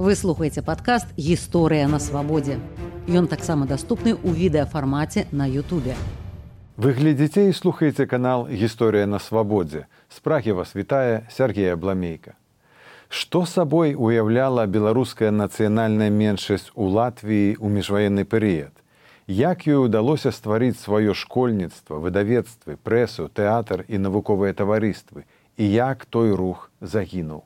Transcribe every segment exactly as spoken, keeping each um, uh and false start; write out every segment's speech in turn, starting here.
Вы слухаеце падкаст «Гісторыя на свабодзе». Ён таксама даступны ў відэафармаце на Ютубе. Вы глядзіце і слухаеце канал «Гісторыя на свабодзе». З Прагі вас вітае Сергей Абламейка. Што сабой уяўляла беларуская нацыянальная меншасць у Латвіі ў міжваенны перыяд? Як ёй удалося стварыць сваё школьніцтва, выдавецтвы, прэсу, тэатр і навуковыя таварыствы? І як той рух загінуў?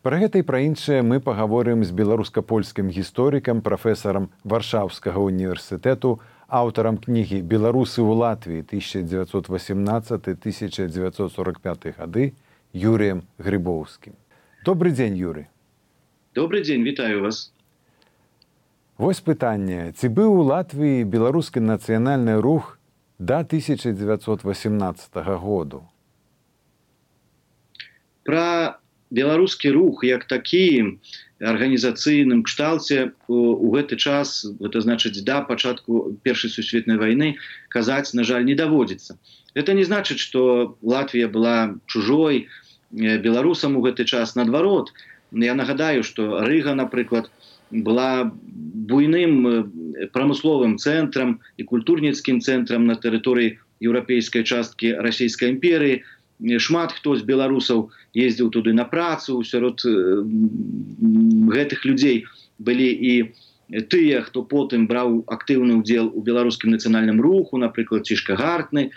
Пра гэта і пра іншае мы пагаворым з беларуска-польскім гісторыкам, прафесарам Варшаўскага універсітэту, аўтарам кнігі «Беларусы ў Латвіі тысяча дзевяцьсот васямнаццаты - тысяча дзевяцьсот сорок пяты гады» Юрыем Грыбоўскім. Добры дзень, Юрый. Добры дзень, вітаю вас. Вось пытанне. Ці быў у Латвіі беларускі нацыянальны рух да тысяча дзевяцьсот васямнаццатага году? Пра беларускі рух як такі арганізацыйным кшталце у гэты час, гэта значыць да пачатку Першай сусветнай вайны, казаць, на жаль, не даводзіцца. Гэта не значыць, што Латвія была чужой беларусам у гэты час. Наадварот, я нагадаю, што Рыга, напрыклад, была буйным прамысловым цэнтрам і культурніцкім цэнтрам на тэрыторыі еўрапейскай часткі Расійскай імперыі. Шмат хто з беларусаў ездзіў туды на працу, сярод гэтых людзей былі і тыя, хто потым браў актыўны ўдзел у беларускім нацыянальным руху, напрыклад, Цішка Гартны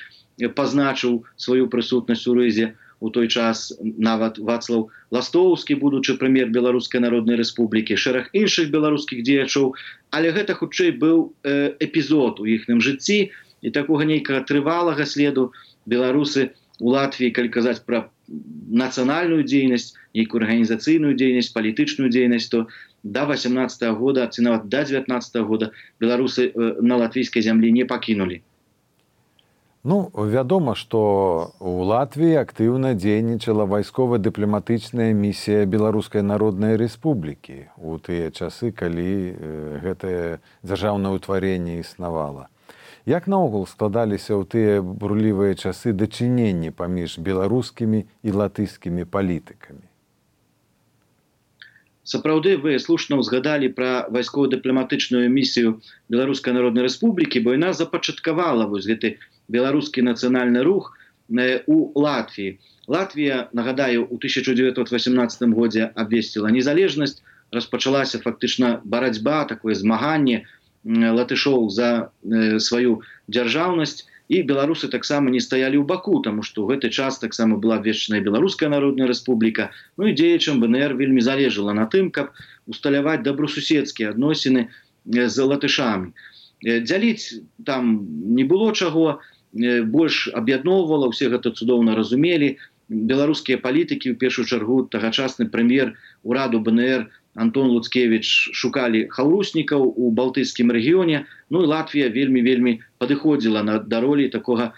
пазначыў сваю прысутнасць у Рызе у той час, нават Вацлаў Ластоўскі, будучы прэм'ер Беларускай Народнай Рэспублікі, шэраг іншых беларускіх дзеячоў, але гэта хутчэй быў эпізод у іхным жыцці, і такога нейкага трывалага следу беларусы у Латвіі, калі казаць пра нацыянальную дзейнасць, нейкую арганізацыйную дзейнасць, палітычную дзейнасць, то да васямнаццатага года, ці нават да дзевятнаццатага года беларусы на латвійскай зямлі не пакінулі. Ну, вядома, што ў Латвіі актыўна дзейнічала вайскова-дыпламатычная місія Беларускай Народнай Рэспублікі у тыя часы, калі гэтае дзяржаўнае ўтварэнне існавала. Як наогул складаліся ў тыя бурлівыя часы дачыненні паміж беларускімі і латышскімі палітыкамі? Сапраўды, вы слушна ўзгадалі пра вайскова-дыпламатычную місію Беларускай Народнай Рэспублікі, бо яна запачаткавала вось гэты беларускі нацыянальны рух у Латвіі. Латвія, нагадаю, у тысяча дзевяцьсот васямнаццатым годзе абвесціла незалежнасць, распачалася фактычна барацьба, такое змаганне латышоў за э, сваю дзяржаўнасць, і беларусы таксама не стаялі ў баку, таму што ў гэты час таксама была абвешчаная Беларуская Народная Рэспубліка. Ну і дзеячам ВНР вельмі залежала на тым, каб усталяваць добрасуседскія адносіны з латышамі. Дзяліць там не было чаго, больш аб'ядноўвала, усе гэта цудоўна разумелі. Беларускія палітыкі, у першую чаргу тагачасны прэм'ер ураду БНР Антон Луцкевіч шукалі хаўруснікаў у балтыйскім рэгіёне, ну і Латвія вельмі-вельмі падыходзіла на да ролі такога,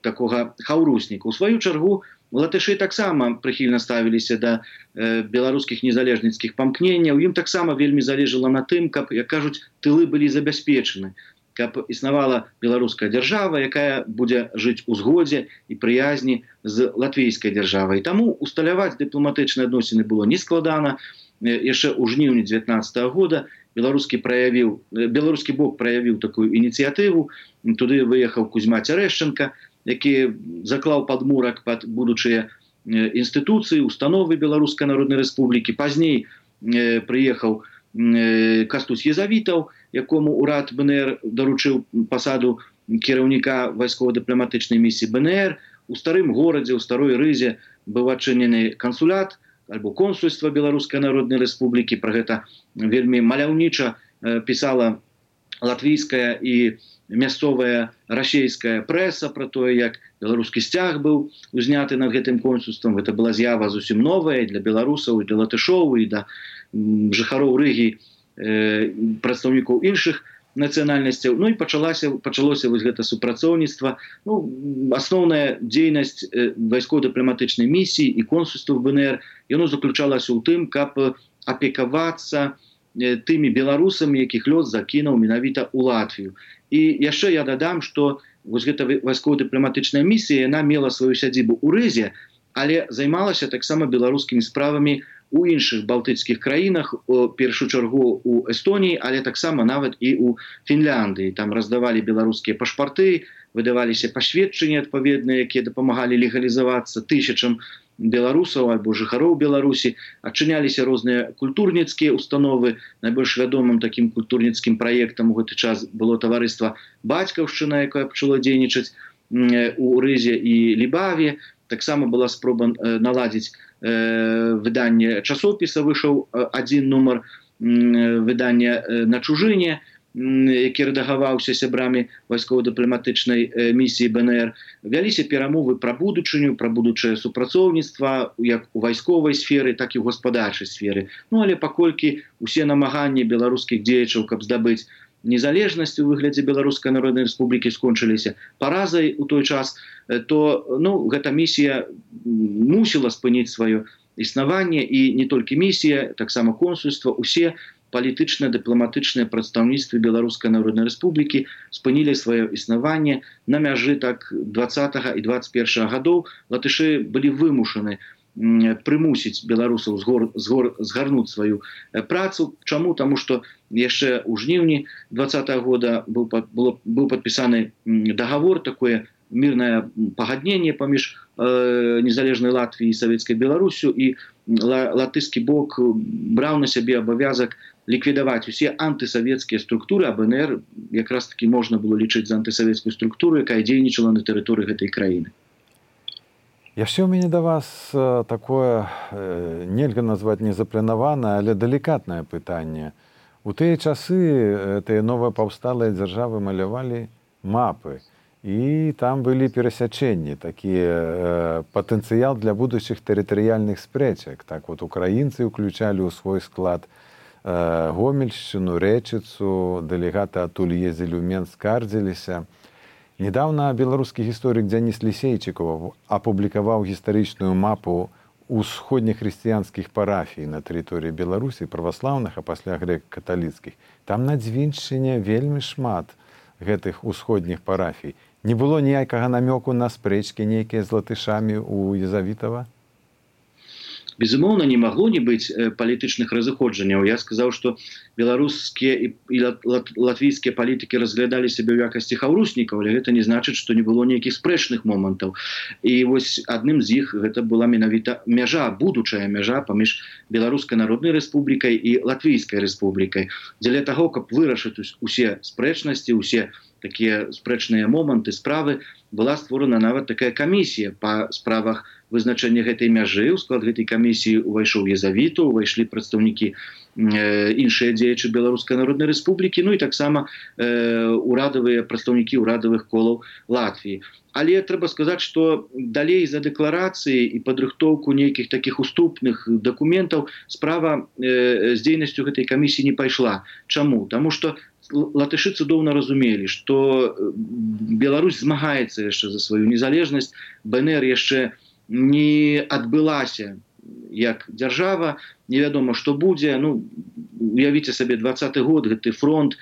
такога хаўрусніка. У сваю чаргу латышы таксама прыхільна ставіліся да э, беларускіх незалежніцкіх памкненняў. Ім таксама вельмі залежала на тым, каб, як кажуць, тылы былі забяспечаны, каб існавала беларуская дзяржава, якая будзе жыць у згодзе і прыязні з латвійскай дзяржавай. Таму усталяваць дыпламатычныя адносіны было нескладана. Яшчэ ў жніўні дзевятнаццатага года беларускі праявіў, беларускі бок праявіў такую ініцыятыву. Туды выехаў Кузьма Цярэшчанка, які заклаў падмурак пад будучыя інстытуцыі, установы Беларускай Народнай Рэспублікі. Пазней прыехаў Кастусь Езавітаў, якому урад БНР даручыў пасаду кіраўніка вайскова-дыпламатычнай місіі БНР. У старым горадзе, у старой Рызе быў адчынены кансулят альбо консульства Беларускай Народнай Рэспублікі. Пра гэта вельмі маляўніча пісала латвійская і мясцовая расейская прэса пра тое, як беларускі сцяг быў узняты над гэтым консульствам. Гэта была з'ява зусім новая для беларусаў, і для латышоў, і да жыхароў Рыгі, прадстаўнікоў іншых нацыянальнасцяў. Ну і пачалася, пачалося вось гэта супрацоўніцтва. Ну, асноўная дзейнасць вайскова-дыпламатычнай місіі і консульстваў БНР, яно заключалася ў тым, каб апекавацца тымі беларусамі, якіх лёс закінуў менавіта ў Латвію. І яшчэ я дадам, што вось гэта вайскова-дыпламатычная місія, яна мела сваю сядзібу ў Рызе, але займалася таксама беларускімі справамі у іншых балтыцкіх краінах, у першую чаргу у Эстоніі, але таксама нават і у Фінляндыі. Там раздавалі беларускія пашпарты, выдаваліся пасведчанні адпаведныя, якія дапамагалі легалізавацца тысячам беларусаў альбо жыхароў Беларусі, адчыняліся розныя культурніцкія установы. Найбольш вядомым такім культурніцкім праектам у гэты час было таварыства «Бацькаўшчына», якое пачало дзейнічаць у Рызе і Лібаве. Таксама была спроба наладзіць выданне часопіса, выйшаў адзін нумар выдання «На чужыне», які рэдагаваўся сябрамі вайскова-дыпламатычнай місіі бэ эн ер. Вяліся перамовы пра будучыню, пра будучае супрацоўніцтва як у вайсковай сферы, так і ў гаспадарчай сферы. Ну, але паколькі усе намаганні беларускіх дзеячаў, каб здабыць незалежнасць у выглядзе Беларускай Народнай Рэспублікі, скончыліся паразай у той час, то ну, гэта місія мусіла спыніць сваё існаванне, і не толькі місія, таксама консульства, усе палітычныя дыпламатычныя прадстаўніцтвы Беларускай Народнай Рэспублікі спынілі сваё існаванне. На мяжы так дваццатага і дваццаць першага гадоў латышы былі вымушаны прымусіць беларусаў згарнуць сваю працу. Чаму? Таму што яшчэ ў жніўні дваццатага года быў, быў падпісаны дагавор, такое мірнае пагадненне паміж э, незалежнай Латвіяй і савецкай Беларусю, і латышскі бок браў на сябе абавязак ліквідаваць усе антысавецкія структуры, а бэ эн ер якраз таки можна было лічыць за антысавецкую структуру, якая дзейнічала на тэрыторыі гэтай краіны. Яшчэ ў мяне да вас такое, нельга назваць незапланаванае, але далікатнае пытанне. У тыя часы тыя новапаўсталыя дзяржавы малявалі мапы, і там былі перасячэнні, такі патэнцыял для будучых тэрытарыяльных спрэчак. Так вот, украінцы ўключалі ў свой склад Гомельшчыну, Рэчыцу, дэлегаты адтуль ездзілі ў Менск, скардзіліся. Недавно беларускі гісторык Дзяніс Лісейчыкаў апублікаваў гістарычную мапу усходніх хрысціянскіх парафій на тэрыторыі Беларусі, праваслаўных, а пасля грэк-каталіцкіх. Там на Дзвіншчыне вельмі шмат гэтых усходніх парафій. Не было ніякага намёку на спрэчкі нейкія з латышамі у Езавітава? Безумоўна, не магло не быць палітычных разыходжанняў. Я сказаў, што беларускія і латвійскія палітыкі разглядалі сябе ў якасці хаўруснікаў, але гэта не значыць, што не было нейкіх спрэчных момантаў. І вось адным з іх гэта была менавіта мяжа, будучая мяжа паміж Беларускай Народнай Рэспублікай і Латвійскай Рэспублікай. Дзеля таго, каб вырашыць усе спрэчнасці, усе такія спрэчныя моманты, справы, была створана нават такая камісія па справах вызначэння гэтай мяжы. У склад гэтай камісіі увайшоў Езавіту, увайшлі прадстаўнікі іншыя дзеячы Беларускай Народнай Рэспублікі, ну і таксама урадавыя прадстаўнікі ўрадавых колаў Латвіі. Але трэба сказаць, што далей за дэкларацыі і падрыхтоўку нейкіх такіх уступных дакументаў справа з дзейнасцю гэтай камісіі не пайшла. Чаму? Таму што латышы цудоўна разумелі, што Беларусь змагаецца яшчэ за сваю незалежнасць, бэ эн ер яшчэ не адбылася як дзяржава, невядома, што будзе. Ну, уявіце сабе, дваццаты год, гэты фронт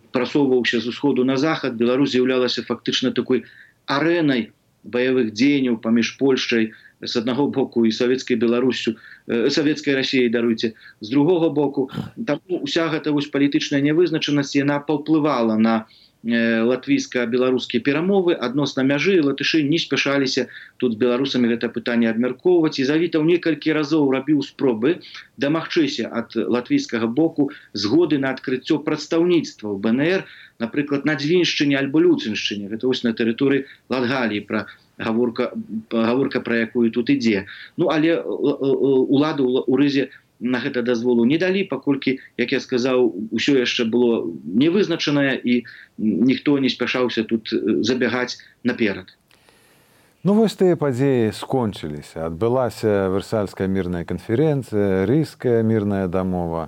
прасоўваўся з усходу на захад, Беларусь з'яўлялася фактычна такой арэнай баявых дзеянняў паміж Польшчай, з аднаго боку, і савецкай Беларусю, савецкай Расіяй, даруйце, з другога боку. Таму уся гэта вось палітычная нявызначанасць, яна паўплывала на латвійска-беларускія перамовы адносна мяжы. Латышы не спяшаліся тут з беларусамі гэта пытанне абмяркоўваць. Езавітаў некалькі разоў рабіў спробы дамагчыся ад латвійскага боку згоды на адкрыццё прадстаўніцтва ў бэ эн ер, напрыклад, на Дзвіншчыне альбо Люценшчыне. Гэта вось на тэрыторыі Латгаліі, пра гаворка, гаворка пра якую тут ідзе. Ну, але улады ў Рызе на гэта дазволу не далі, паколькі, як я сказаў, усё яшчэ было невызначанае, і ніхто не спяшаўся тут забягаць наперад. Ну, вось тыя падзеі скончыліся. Адбылася Версальская мірная канферэнцыя, Рыйская мірная дамова.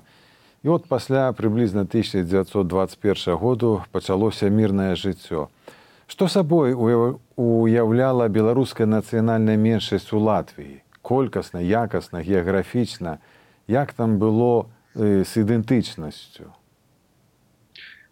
І от пасля прыблізна тысяча дзевяцьсот дваццаць першага году пачалося мірнае жыццё. Што сабой уяўляла беларуская нацыянальная меншасць у Латвіі? Колькасна, якасна, геаграфічна? Як там было з ідэнтычнасцю?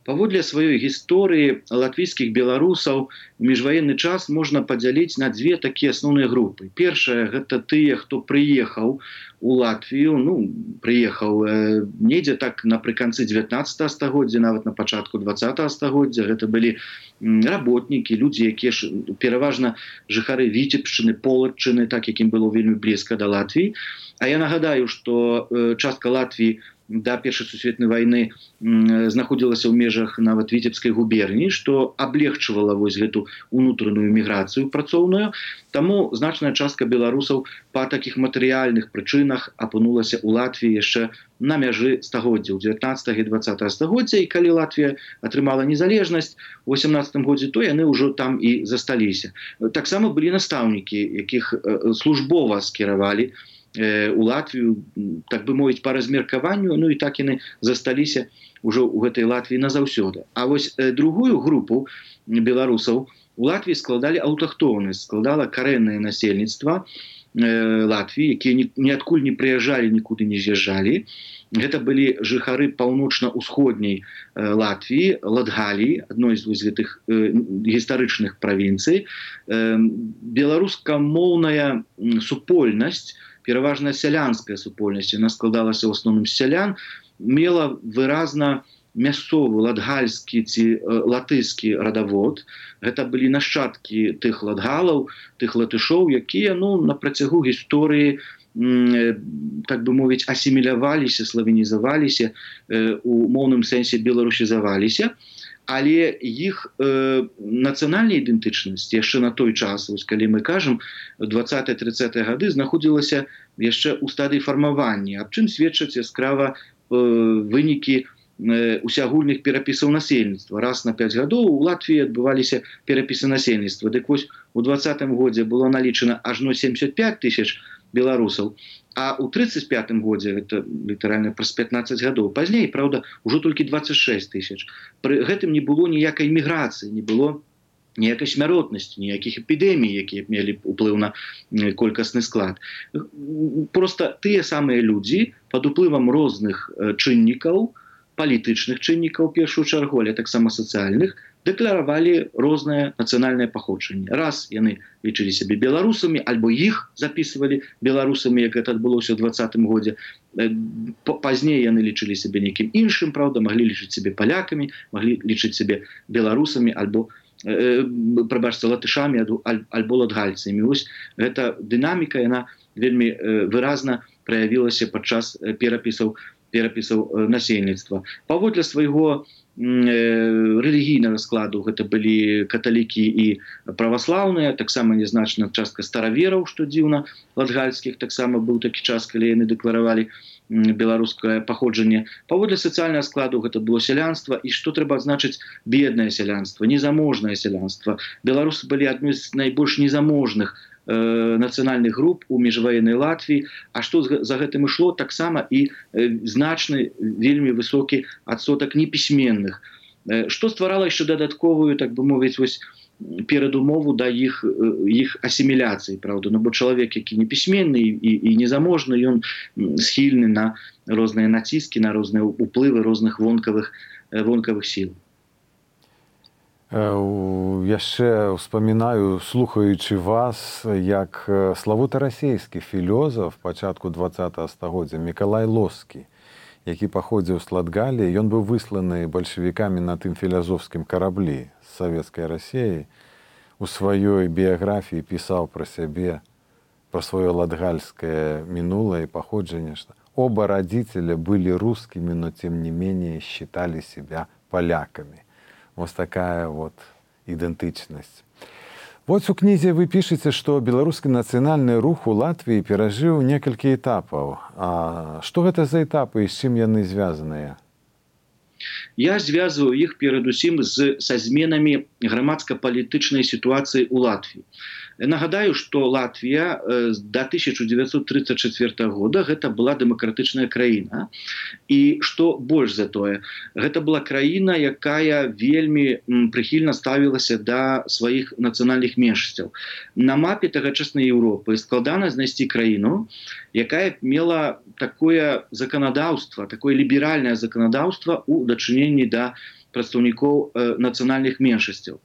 Паводле сваёй гісторыі латвійскіх беларусаў у міжваенны час можна падзяліць на дзве такія асноўныя групы. Першая гэта тыя, хто прыехаў у Латвію, ну прыехаў э, недзе так напрыканцы дзевятнаццатага стагоддзя, нават на пачатку дваццатага стагоддзя. Гэта былі работнікі, людзі, якія ж пераважна жыхары Віцебшчыны, Полаччыны, так якім было вельмі блізка да Латвіі. А я нагадаю, што э, частка Латвіі да першай сусветнай вайны знаходзілася ў межах нават Віцебскай губерніі, што аблегчвала вось гэту унутраную міграцыю працоўную. Таму значная частка беларусаў па такіх матэрыяльных прычынах апынулася ў Латвіі яшчэ на мяжы стагоддзяў дзевятнаццатага і дваццатага стагоддзя, і калі Латвія атрымала незалежнасць у восемнаццатым годзе, то яны ўжо там і засталіся. Таксама былі настаўнікі, якіх службова скіравалі у Латвію, так бы мовіць, па размеркаванню, ну і так яны засталіся ўжо ў гэтай Латвіі назаўсёды. А вось другую групу беларусаў у Латвіі складалі аўтахтоны, складала карэннае насельніцтва Латвіі, якія ніадкуль не прыязджалі, нікуды не з'язджалі. Гэта былі жыхары паўночна-ўсходняй Латвіі, Латгаліі, адной з гэтых гістарычных правінцый. Беларускамоўная супольнасць, пераважна сялянская супольнасць, яна складалася ў асноўным з сялян, мела выразна мясцовы латгальскі ці латышскі радавод. Гэта былі нашчадкі тых латгалаў, тых латышоў, якія ну, на працягу гісторыі, так бы мовіць, асіміляваліся, славенізаваліся, у моўным сэнсе беларусізаваліся. Але іх э, нацыянальная ідэнтычнасць яшчэ на той час, вось калі мы кажам, дваццатыя-трыццатыя гады знаходзілася яшчэ ў стадыі фармавання, аб чым сведчаць яскрава э, вынікі э, усеагульных перапісаў насельніцтва. Раз на пяць гадоў у Латвіі адбываліся перапісы насельніцтва. Дык вось у дваццатым годзе было налічана ажно семьдесят пять тысяч беларусаў, а ў тридцать пятым годзе, гэта літаральна праз пятнаццаць гадоў пазней, праўда, ужо толькі двадцать шесть тысяч. Пры гэтым не было ніякай міграцыі, не было ніякай смяротнасці, ніякіх эпідэмій, якія мелі ўплыў на колькасны склад. Проста тыя самыя людзі пад уплывам розных чыннікаў, палітычных чыннікаў, у першую чаргу, але таксама сацыяльных, дэкларавалі рознае нацыянальнае паходжанне. Раз яны лічылі сябе беларусамі, альбо іх запісывалі беларусамі, як гэта адбылося ў дваццатым годзе. Пазней яны лічылі сябе нейкім іншым, праўда, маглі лічыць сябе палякамі, маглі лічыць сябе беларусамі, альбо э, прабачце, латышамі, альбо латгальцамі. Вось гэта дынаміка, яна вельмі э, выразна праявілася падчас перапісаў перапісаў насельніцтва. Паводле свайго рэлігійнага складу гэта былі каталікі і праваслаўныя, таксама нязначная частка старавераў, што дзіўна, латгальскіх, таксама быў такі час, калі яны дэкларавалі беларускае паходжанне. Паводле сацыяльнага складу гэта было сялянства, і што трэба адзначыць, беднае сялянства, незаможнае сялянства. Беларусы былі адной з найбольш незаможных нацыянальных груп у міжваеннай Латвіі, а што за гэтым ішло, таксама і значны, вельмі высокі адсотак непісьменных, што стварала яшчэ дадатковую, так бы мовіць, вось перадумову да іх іх асіміляцыі, праўда, ну бо чалавек, які непісьменны і, і незаможны, ён схільны на розныя націскі, на розныя ўплывы розных вонкавых вонкавых сіл. Яшчэ успамінаю, слухаючы вас, як славуты расійскі філёзаф пачатку дваццатага стагоддзя Мікалай Лоскі, які паходзіў з Латгаліі, ён быў высланы бальшавікамі на тым філазофскім караблі з савецкай Расіі. У сваёй біяграфіі пісаў пра сябе, пра сваё латгальскае мінулае паходжанне, што оба родителя были русскими, но тем не менее считали себя поляками. Вот такая вот идентичность. Вот у кнізе вы пішаце, што беларускі нацыянальны рух у Латвіі перажыў некалькі этапаў. А што гэта за этапы і з чым яны звязаныя? Я звязываю іх перадусім з, са зменамі грамадска-палітычнай сітуацыі ў Латвіі. Нагадаю, што Латвія да тысяча дзевяцьсот тридцать четвёртага года гэта была дэмакратычная краіна. І што больш за тое, гэта была краіна, якая вельмі прыхільна ставілася да сваіх нацыянальных меншасцяў. На мапе тагачаснай Еўропы складана знайсці краіну, якая мела такое заканадаўства, такое ліберальнае заканадаўства ў дачыненні да прадстаўнікоў нацыянальных меншасцяў.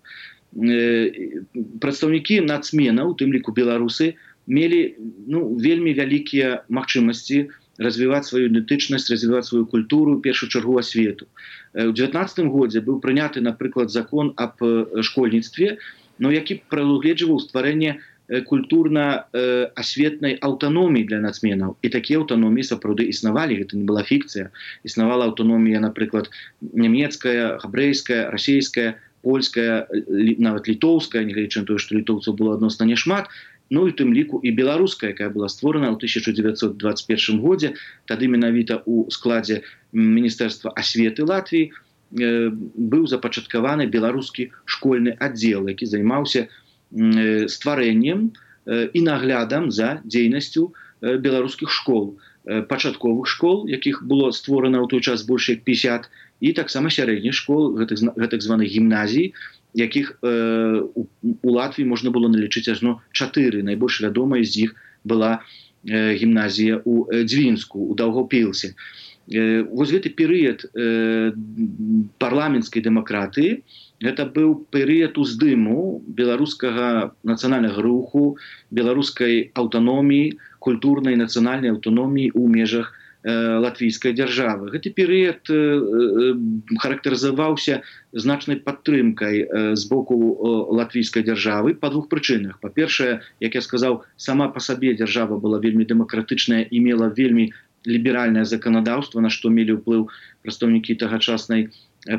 Прадстаўнікі нацменаў, у тым ліку беларусы, мелі ну, вельмі вялікія магчымасці развіваць сваю ідэнтычнасць, развіваць сваю культуру, у першую чаргу асвету. У дзевятнаццатым годзе быў прыняты, напрыклад, закон аб школьніцтве, но які прадугледжваў стварэнне культурна-асветнай аўтаноміі для нацменаў. І такія аўтаноміі сапраўды існавалі, гэта не была фікцыя. Існавала аўтаномія, напрыклад, нямецкая, габрэйская, расейская, польская, нават літоўская, нягледзячы на тое, што літоўцаў было адносна няшмат, ну і тым ліку і беларуская, якая была створана ў тысяча дзевяцьсот дваццаць першым годзе, тады менавіта ў складзе Міністэрства асветы Латвіі быў запачаткаваны беларускі школьны аддзел, які займаўся стварэннем і наглядам за дзейнасцю беларускіх школ, пачатковых школ, якіх было створана ў той час больш як пятьдесят, і таксама сярэдніх школ, гэтых званых гімназій, якіх у Латвіі можна было налічыць ажно чатыры. Найбольш вядомая з іх была гімназія ў Дзвінску, у Даўгаўпілсе. Вось гэты перыяд парламенцкай дэмакратыі, гэта быў перыяд уздыму беларускага нацыянальнага руху, беларускай аўтаноміі, культурнай нацыянальнай аўтаноміі ў межах латвійскай дзяржавы. Гэты перыяд характарызаваўся значнай падтрымкай з боку латвійскай дзяржавы па двух прычынах. Па-першае, як я сказаў, сама па сабе дзяржава была вельмі дэмакратычная і мела вельмі ліберальнае заканадаўства, на што мелі ўплыў прадстаўнікі тагачаснай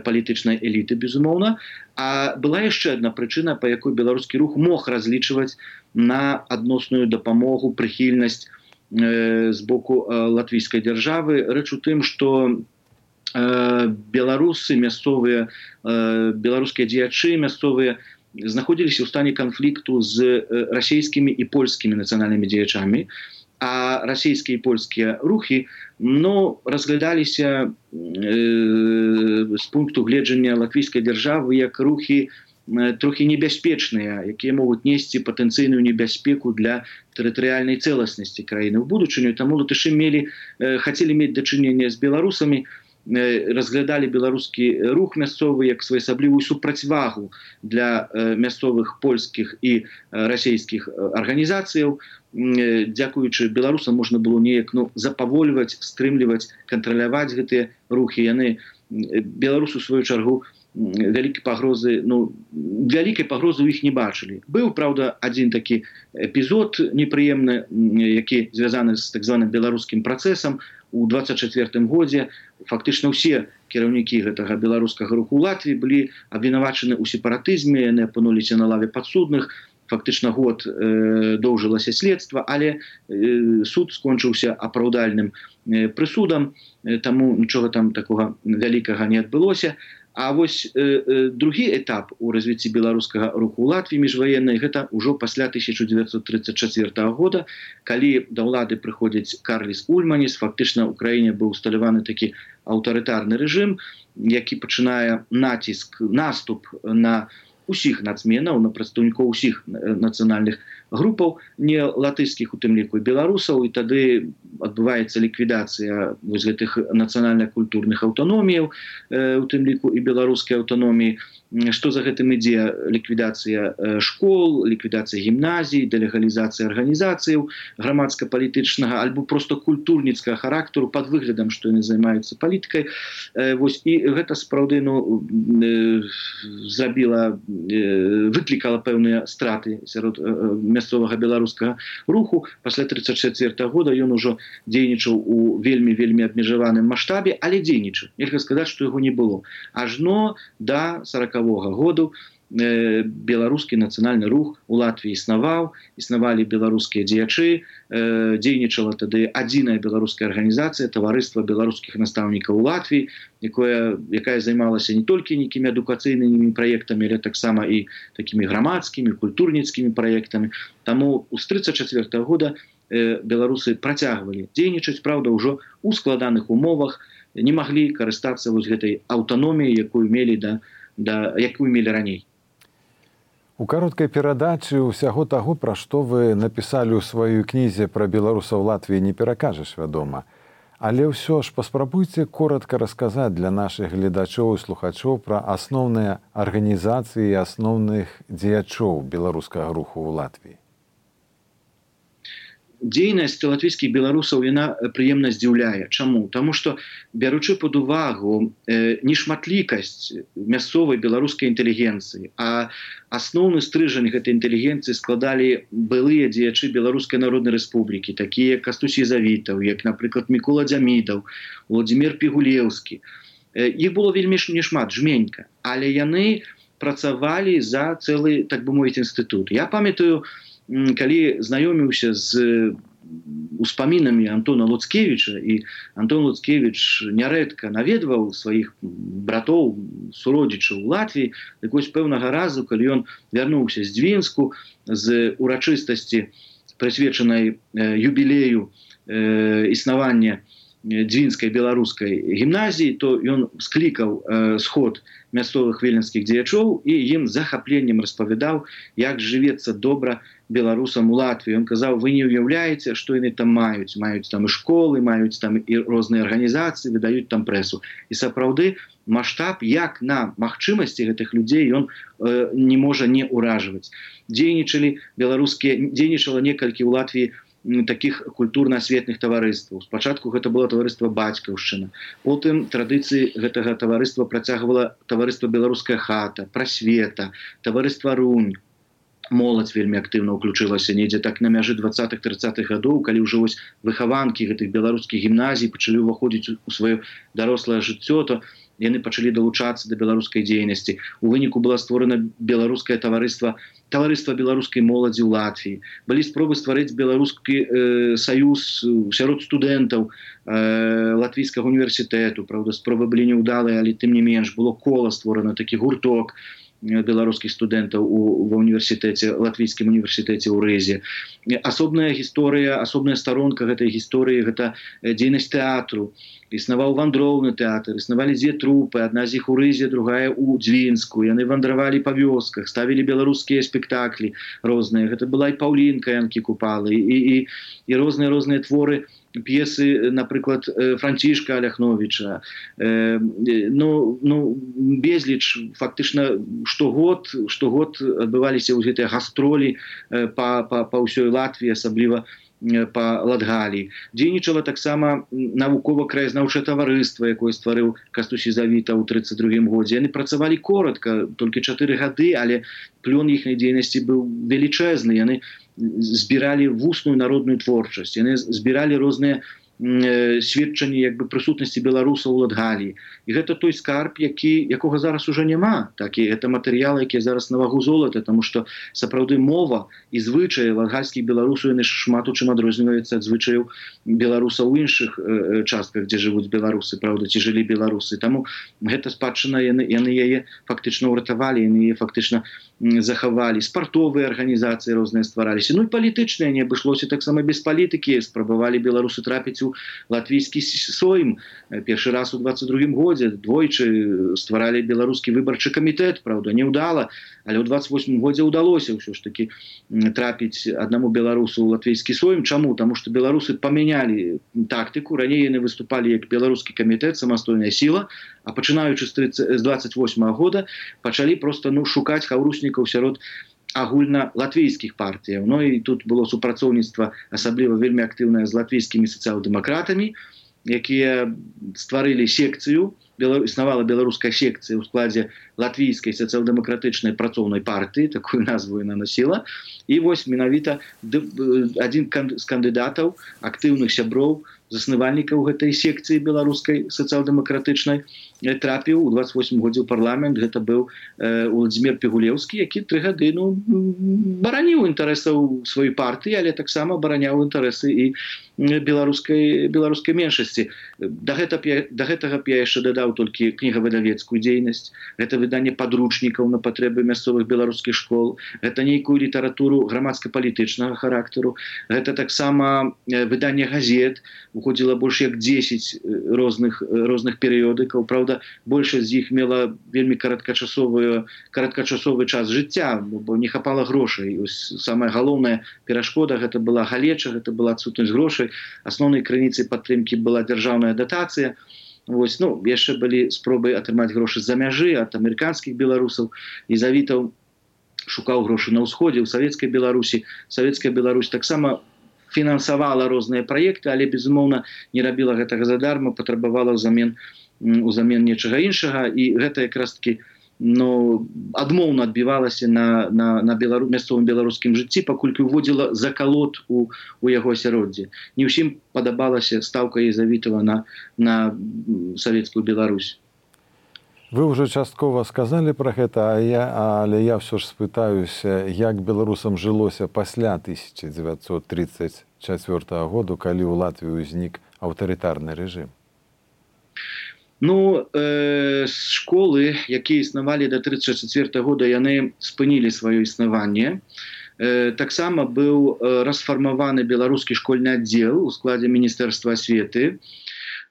палітычнай эліты, безумоўна. А была яшчэ адна прычына, па якой беларускі рух мог разлічваць на адносную дапамогу, прыхільнасць з боку латвійскай дзяржавы. Рэч у тым, што беларусы мясцовыя, беларускія дзеячы мясцовыя знаходзіліся ў стане канфлікту з расійскімі і польскімі нацыянальнымі дзеячамі, а расійскія і польскія рухі ну, разглядаліся э, з пункту гледжання латвійскай дзяржавы як рухі э, трохі небяспечныя, якія могуць несці патэнцыйную небяспеку для тэрытарыяльнай цэласнасці краіны ў будучыню. Таму латышы мелі, э, хацелі мець дачыненне з беларусамі, разглядалі беларускі рух мясцовы як своеасаблівую супрацьвагу для мясцовых польскіх і расійскіх арганізацыяў. Дзякуючы беларусам можна было неяк ну, запавольваць, стрымліваць, кантраляваць гэтыя рухі. Яны беларусы у сваю чаргу вялікай пагрозы, ну, вялікай пагрозы ў іх не бачылі. Быў, праўда, адзін такі эпізод непрыемны, які звязаны з так званым беларускім працэсам. У двадцать чацвёртым годзе фактычна ўсе кіраўнікі гэтага беларускага руху ў Латвіі былі абвінавачаны ў сепаратызме, яны апынуліся на лаве падсудных. Фактычна год э, доўжылася следства, але э, суд скончыўся апраўдальным э, прысудам, э, таму нічога там такога вялікага не адбылося. А вось э, э, другі этап у развіцці беларускага руху ў Латвіі міжваеннай гэта ўжо пасля тысяча дзевяцьсот тридцать чацвёртага года, калі да ўлады прыходзіць Карліс Ульманіс, фактычна ў краіне быў усталяваны такі аўтарытарны рэжым, які пачынае націск, наступ на усіх нацменаў, на прадстаўнікоў усіх нацыянальных групаў, не латышскіх, у тым ліку і беларусаў, і тады адбываецца ліквідацыя вось гэтых нацыянальна-культурных аўтаноміяў, э, у тым ліку і беларускай аўтаноміі. Што за гэтым ідзе? Ліквідацыя школ, ліквідацыя гімназій, дэлегалізацыя арганізацыяў грамадска-палітычнага альбо проста культурніцкага характару пад выглядам, што яны займаюцца палітыкай. Э, вось, і гэта сапраўды ну, э, зрабіла, э, выклікала пэўныя страты сярод э, мясцовага беларускага руху. Пасля тридцать чацвёртага года ён ужо дзейнічаў у вельмі-вельмі абмежаваным маштабе, але дзейнічаў. Нельга сказаць, што яго не было. Ажно да сорокавога году э, беларускі нацыянальны рух у Латвіі існаваў, існавалі беларускія дзеячы, э, дзейнічала тады адзіная беларуская арганізацыя, таварыства беларускіх настаўнікаў у Латвіі, якое, якая займалася не толькі нейкімі адукацыйнымі праектамі, але таксама і такімі грамадскімі, культурніцкімі праектамі. Таму з тридцать чацвёртага года э, беларусы працягвалі дзейнічаць, праўда, ўжо ў складаных умовах, не маглі карыстацца вось гэтай аўтаноміяй, якую мелі да да якую мелі раней. У кароткай перадачы ўсяго таго, пра што вы напісалі ў сваёй кнізе пра беларусаў Латвіі, не перакажаш, вядома. Але ўсё ж паспрабуйце коротка расказаць для нашых гледачоў і слухачоў пра асноўныя арганізацыі і асноўных дзеячоў беларускага руху ў Латвіі. Дзейнасць латвійскіх беларусаў яна прыемна здзіўляе. Чаму? Таму што, бяручы пад увагу э, не шматлікасць мясцовай беларускай інтэлігенцыі, а асноўны стрыжань гэтай інтэлігенцыі складалі былыя дзеячы Беларускай Народнай Рэспублікі, такія як Кастусій Завітаў, як, напрыклад, Мікола Дзямідаў, Владзімір Пігулеўскі. Э, іх было вельмі нешмат, жменька, але яны працавалі за цэлы, так бы мовіць, інстытут. Я памятаю, калі знаёміўся з успамінамі Антона Луцкевіча, і Антон Луцкевіч нярэдка наведваў сваіх братоў, суродзічаў у Латвіі, так вось пэўнага разу, калі ён вярнуўся з Дзвінску, з урачыстасці, прысвечанай юбілею існавання Дзвінскай беларускай гімназіі, то ён склікаў сход мясцовых віленскіх дзеячоў і ім захапленнем распавядаў, як жывецца добра беларусам у Латвіі. Ён казаў, вы не ўяўляеце, што яны там маюць. Маюць там і школы, маюць там і розныя арганізацыі, выдаюць там прэсу. І сапраўды маштаб, як на магчымасці гэтых людзей, ён э, не можа не ўражваць. Дзейнічалі беларускія, дзейнічала некалькі ў Латвіі таких культурна-асветных таварыстваў. Спачатку гэта было таварыства Бацькаўшчына. Потым традыцыі гэтага таварыства працягвала таварыства Беларуская хата, Прасвета, таварыства Рунь. Моладзь вельмі актыўна ўключылася недзе так на мяжы дваццатых-трыццатых гадоў, калі ўжо вось выхаванкі гэтых беларускіх гімназій пачалі ўваходзіць у сваё дарослае жыццё, то яны пачалі далучацца да беларускай дзейнасці. У выніку была створана беларускае таварыства, таварыства беларускай моладзі ў Латвіі. Былі спробы стварыць беларускі э, саюз сярод студэнтаў э, латвійскага універсітэту. Праўда, спробы былі няўдалыя, але тым не менш было кола створана, такі гурток беларускіх студэнтаў у, ва універсітэце, латвійскім універсітэце ў Рызе. Асобная гісторыя, асобная старонка гэтай гісторыі, гэта дзейнасць тэатру. Існаваў вандроўны тэатр, існавалі дзве трупы, адна з іх у Рызе, другая ў Дзвінску. Яны вандравалі па вёсках, ставілі беларускія спектаклі розныя. Гэта была і Паўлінка Янкі Купалы, і, і, і розныя-розныя творы, п'есы, напрыклад, Францішка Аляхновіча. Э, ну, ну, безліч, фактычна, штогод, штогод адбываліся ў гэтыя гастролі э, па, па, па ўсёй Латвіі, асабліва па Латгаліі. Дзейнічала таксама навукова-краязнаўчае таварыства, якое стварыў Кастусій Завітаў у трыццаць другім годзе. Яны працавалі коратка, толькі чатыры гады, але плён іхняй дзейнасці быў велічэзны. Яны збіралі вусную народную творчасць, яны збіралі розныя сведчанні як бы прысутнасці беларусаў у Латгаліі. І гэта той скарб, які, якога зараз уже няма. Так, і гэта матэрыялы, якія зараз на вагу золата, таму што сапраўды мова і звычаі латгальскіх беларусаў яны шмат у чым адрозніваюцца ад звычаяў беларусаў у іншых э, частках, дзе жывуць беларусы, правда, ці жылі беларусы. Таму гэта спадчына, яны, яны яе фактычна ўратавалі, яны яе фактычна захавалі. Спартовыя арганізацыі розныя ствараліся. Ну і палітычныя, не абышлося таксама без палітыкі. Спрабавалі беларусы трапіць у латвійскі сойм. Першы раз у дваццаць другім годзе двойчы стваралі беларускі выбарчы камітэт, правда, неўдала, але ў дваццаць восьмым годзе ўдалося ўсё ж такі трапіць аднаму беларусу ў латвійскі сойм. Чаму? Таму што беларусы памянялі тактыку. Раней яны выступалі як беларускі камітэт, самастойная сіла, а пачынаючы з дваццаць восьмага года пачалі проста ну, шукаць хаўруснікаў сярод агульна латвійскіх партыяў. Ну і тут было супрацоўніцтва асабліва вельмі актыўнае з латвійскімі сацыял-дэмакратамі, якія стварылі секцыю, існавала беларуская секцыя ў складзе латвійскай сацыял-дэмакратычнай працоўнай партыі, такую назву яна насіла. І вось менавіта адзін з кандыдатаў, актыўных сяброў, заснавальнікаў гэтай секцыі беларускай сацыял-дэмакратычнай трапіў у дваццаць восьмым годзе ў парламент. Гэта быў э, Владзімір Пігулеўскі, які тры гады ну, бараніў інтарэсаў сваёй партыі, але таксама бараняў інтарэсы і беларускай, беларускай меншасці. Да, гэта, да гэтага б я яшчэ дадаў вядаў толькі кнігавыдавецкую дзейнасць, гэта выданне падручнікаў на патрэбы мясцовых беларускіх школ, гэта нейкую літаратуру грамадска-палітычнага характару, гэта таксама выданне газет, уходзіла больш як дзесяць розных, розных перыёдыкаў. Праўда, большасць з іх мела вельмі кароткачасовы, кароткачасовы час жыцця, бо не хапала грошай. Самая галоўная перашкода гэта была галеча, гэта была адсутнасць грошай. Асноўнай крыніцай падтрымкі была дзяржаўная датацыя. Вось, ну, яшчэ былі спробы атрымаць грошы з-за мяжы ад амерыканскіх беларусаў. Езавітаў шукаў грошы на ўсходзе, у савецкай Беларусі. Савецкая Беларусь таксама фінансавала розныя праекты, але, безумоўна, не рабіла гэтага задарма, патрабавала ўзамен, ўзамен нечага іншага. І гэта якраз-такі ну, адмоўна адбівалася на, на, на белару, мясцовым беларускім жыцці, паколькі ўводзіла закалот у, у яго асяроддзі. Не ўсім падабалася стаўка Езавітава на, на савецкую Беларусь. Вы ўжо часткова сказалі пра гэта, а я, але я ўсё ж спытаюся, як беларусам жылося пасля тысяча дзевяцьсот тридцать чацвёртага году, калі ў Латвіі ўзнік аўтарытарны рэжым? Ну, э, школы, якія існавалі да тридцать чацвёртага года, яны спынілі сваё існаванне. Э, таксама быў расфармаваны беларускі школьны аддзел у складзе Міністэрства асветы.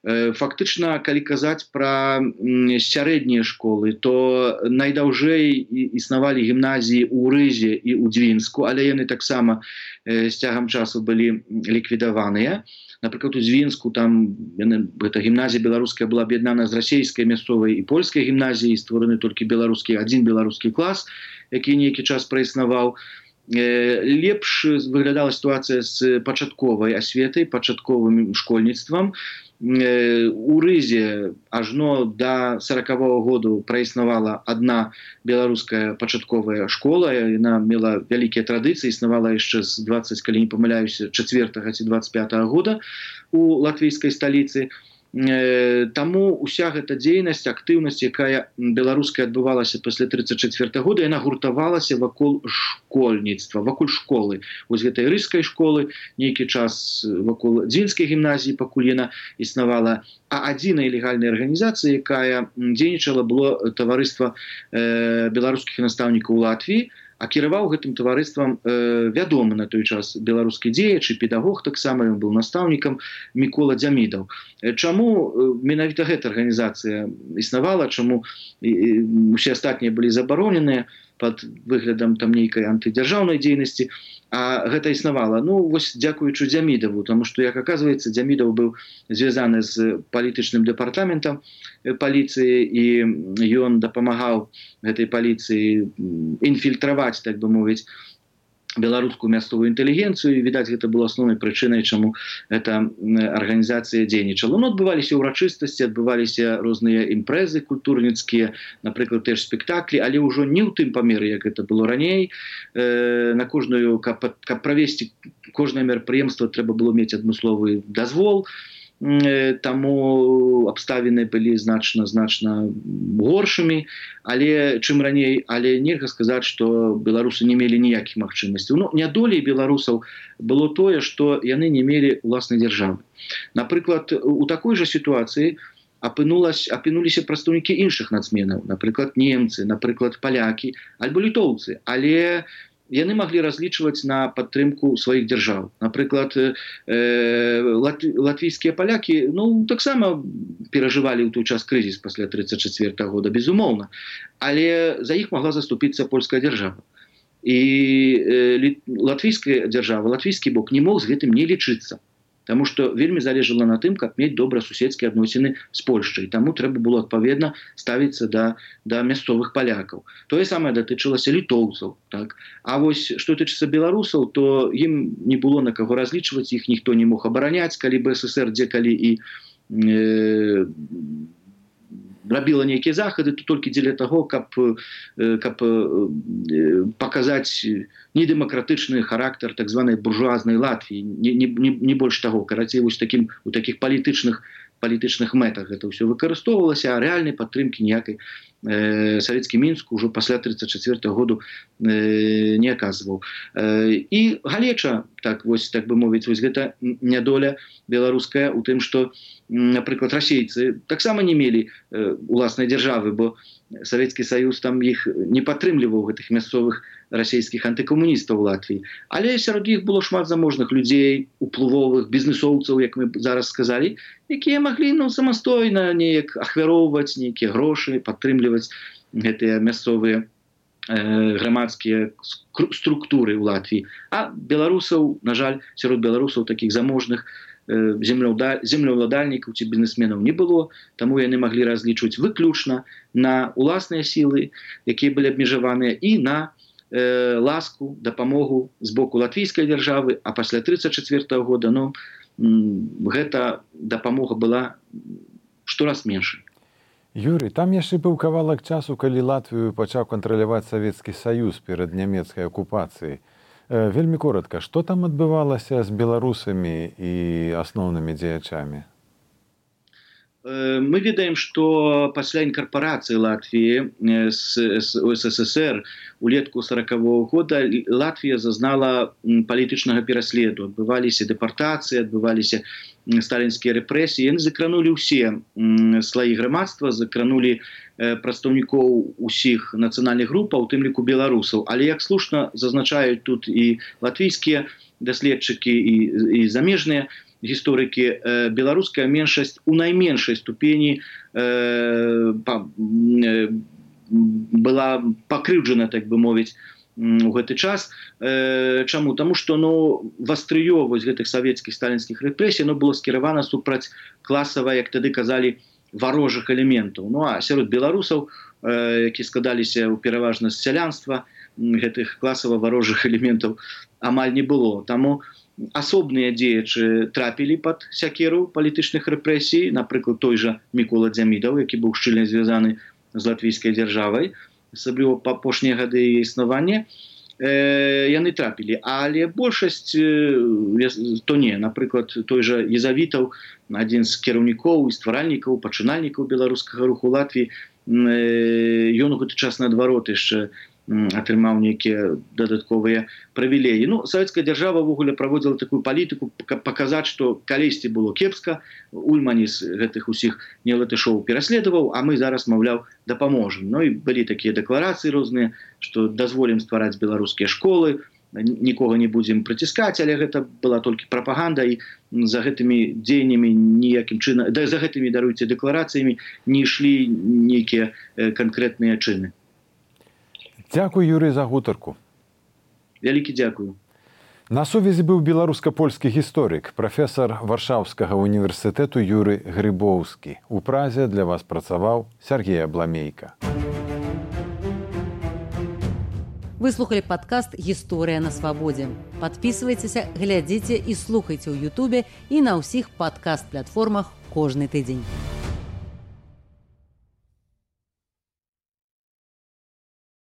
Фактычна, калі казаць пра сярэднія школы, то найдаўжэй існавалі гімназіі ў Рызе і ў Дзвінску, але яны таксама з цягам часу былі ліквідаваныя. Напрыклад, у Дзвінску там яны, гэта гімназія беларуская была аб'яднана з расейскай мясцовай і польскай гімназіяй, створаны толькі беларускі, адзін беларускі клас, які нейкі час праіснаваў. Лепш выглядала сітуацыя з пачатковай асветай, пачатковым школьніцтвам. У Рызе ажно да сорокавога году праіснавала адна беларуская пачатковая школа, яна мела вялікія традыцыі, існавала яшчэ з двадцать, калі не памыляюся, чацвёртага ці двадцать пятага года у латвійскай сталіцы. Таму уся гэта дзейнасць, актыўнасць, якая беларуская адбывалася пасля тридцать чацвёртага года, яна гуртавалася вакол школьніцтва, вакол школы. Вось гэтай рыжскай школы, нейкі час вакол Дзвінскай гімназіі, пакуль яна існавала. А адзінай легальнай арганізацыі, якая дзейнічала, было таварыства э, беларускіх настаўнікаў у Латвіі, а кіраваў гэтым таварыствам э, вядомы на той час беларускі дзеяч і педагог, таксама ён быў настаўнікам, Мікола Дзямідаў. Чаму менавіта гэта арганізацыя існавала, чаму усе астатнія былі забароненыя пад выглядам там нейкай антыдзяржаўнай дзейнасці, а гэта існавала? Ну, вось дзякуючы Дзямідаву, таму што, як аказваецца, Дзямідаў быў звязаны з палітычным дэпартаментам паліцыі, і ён дапамагаў гэтай паліцыі інфільтраваць, так бы мовіць, беларускую мясцовую інтэлігенцыю, і, відаць, гэта было асноўнай прычынай, чаму эта арганізацыя дзейнічала. Ну, адбываліся ўрачыстасці, адбываліся розныя імпрэзы культурніцкія, напрыклад, теж спектаклі, але ўжо не ў тым памеры, як гэта было раней. Э, на кожную, каб, каб правесці кожнае мерапрыемства, трэба было мець адмысловы дазвол, таму абставіны былі значна значна горшымі, але чым раней, але нельга сказаць, што беларусы не мелі ніякіх магчымасцяў. Ну, нядолей беларусаў было тое, што яны не мелі ўласнай дзяржавы. Напрыклад, у такой жа сітуацыі апынуліся прадстаўнікі іншых нацменаў, напрыклад, немцы, напрыклад, палякі, альбо літоўцы, але яны маглі разлічваць на падтрымку сваіх дзяржаў. Напрыклад, э, латвійскія палякі, ну, таксама перажывалі ў той час крызіс пасля тридцать чацвёртага года, безумоўна, але за іх магла заступіцца польская дзяржава. І э, латвійская дзяржава, латвійскі бок не мог з гэтым не лічыцца. Таму што вельмі залежала на тым, каб мець добрасуседскія адносіны з Польшчай. Таму трэба было адпаведна ставіцца да, да мясцовых палякаў. Тое самае датычылася літоўцаў. Так? А вось што тычыцца беларусаў, то ім не было на каго разлічваць, іх ніхто не мог абараняць, калі БССР дзе-калі і э, рабіла нейкія захады, то толькі дзеля таго, каб, каб паказаць недэмакратычны характар так званай буржуазнай Латвіі, не, не, не больш таго. Карацей, вось такім, у такіх палітычных, палітычных мэтах гэта ўсё выкарыстоўвалася, а рэальнай падтрымкі ніякай э, савецкі Мінск ужо пасля тридцать четвёртого году э, не аказваў. Э, і галеча, так вось так бы мовіць, вось гэта нядоля беларуская у тым, што, напрыклад, расейцы таксама не мелі э, уласнай дзяржавы, бо Савецкі Саюз там іх не падтрымліваў, гэтых мясцовых расійскіх антыкамуністаў у Латвіі. Але сярод іх было шмат заможных людзей, уплывовых, бізнесоўцаў, як мы зараз сказалі, якія маглі ну, самастойна неяк ахвяроўваць нейкія грошы, падтрымліваць гэтыя мясцовыя э, грамадскія структуры ў Латвіі. А беларусаў, на жаль, сярод беларусаў такіх заможных землеўладальнікаў ці бізнесменаў не было, таму яны маглі разлічваць выключна на уласныя сілы, якія былі абмежаваныя, і на э, ласку, дапамогу з боку латвійскай дзяржавы, а пасля тридцать четвёртого года ну, гэта дапамога была штораз меншай. Юрый, там яшчэ быў кавалак часу, калі Латвію пачаў кантраляваць Савецкі Саюз перад нямецкай акупацыяй. Вельмі коротка, што там адбывалася з беларусамі і асноўнымі дзеячамі? Мы ведаем, што пасля інкарпорацыі Латвіі з СССР улетку сорокавого года Латвія зазнала палітычнага пераследу. Адбываліся дэпартацыі, адбываліся сталінскія рэпрэсіі. Яны закранулі ўсе слаі грамадства, закранулі прадстаўнікоў усіх нацыянальных групаў, у тым ліку беларусаў. Але, як слушна зазначаюць тут і латвійскія даследчыкі, і, і замежныя гісторыкі, беларуская меншасць у найменшай ступені э, па, э, была пакрыўджана, так бы мовіць, у гэты час. Э, чаму? Таму што ну, вастрыё вось гэтых савецкіх сталінскіх рэпрэсій ну, было скіравана супраць класава, як тады казалі, варожых элементаў. Ну а сярод беларусаў, э, які складаліся ў пераважна з сялянства, гэтых класава варожых элементаў амаль не было. Таму асобныя дзеячы трапілі пад сякеру палітычных рэпрэсій, напрыклад, той жа Мікола Дзямідаў, які быў шчыльна звязаны з латвійскай дзяржавай, асабліва па апошнія гады яе існавання, э, яны трапілі. Але большасць э, то не. Напрыклад, той жа Езавітаў, адзін з кіраўнікоў і стваральнікаў, пачынальнікаў беларускага руху Латвіі, э, ён у гэты час наадварот яшчэ атрымаў нейкія дадатковыя прывілеі. Ну, савецкая дзяржава ўвогуле праводзіла такую палітыку, паказаць, што калісьці было кепска, Ульмані з гэтых усіх нелатышоў пераследаваў, а мы зараз, маўляў, дапаможам. Ну і былі такія дэкларацыі розныя, што дазволім ствараць беларускія школы, нікога не будзем прыціскаць, але гэта была толькі прапаганда, і за гэтымі дзеяннямі ніякім чынам, да, за гэтымі, даруйце, дэкларацыямі не ішлі нейкія канкрэтныя чыны. Дзякуй, Юрый, за гутарку. Вялікі дзякую. На сувязі быў беларуска-польскі гісторык, прафесар Варшаўскага універсітэту Юрый Грыбоўскі. У Празе для вас працаваў Сергей Абламейка. Вы слухали падкаст «Гісторыя на свабодзе». Падпісвайцеся, глядзіце і слухайце ў Ютубе і на ўсіх падкаст-платформах кожны тыдзень.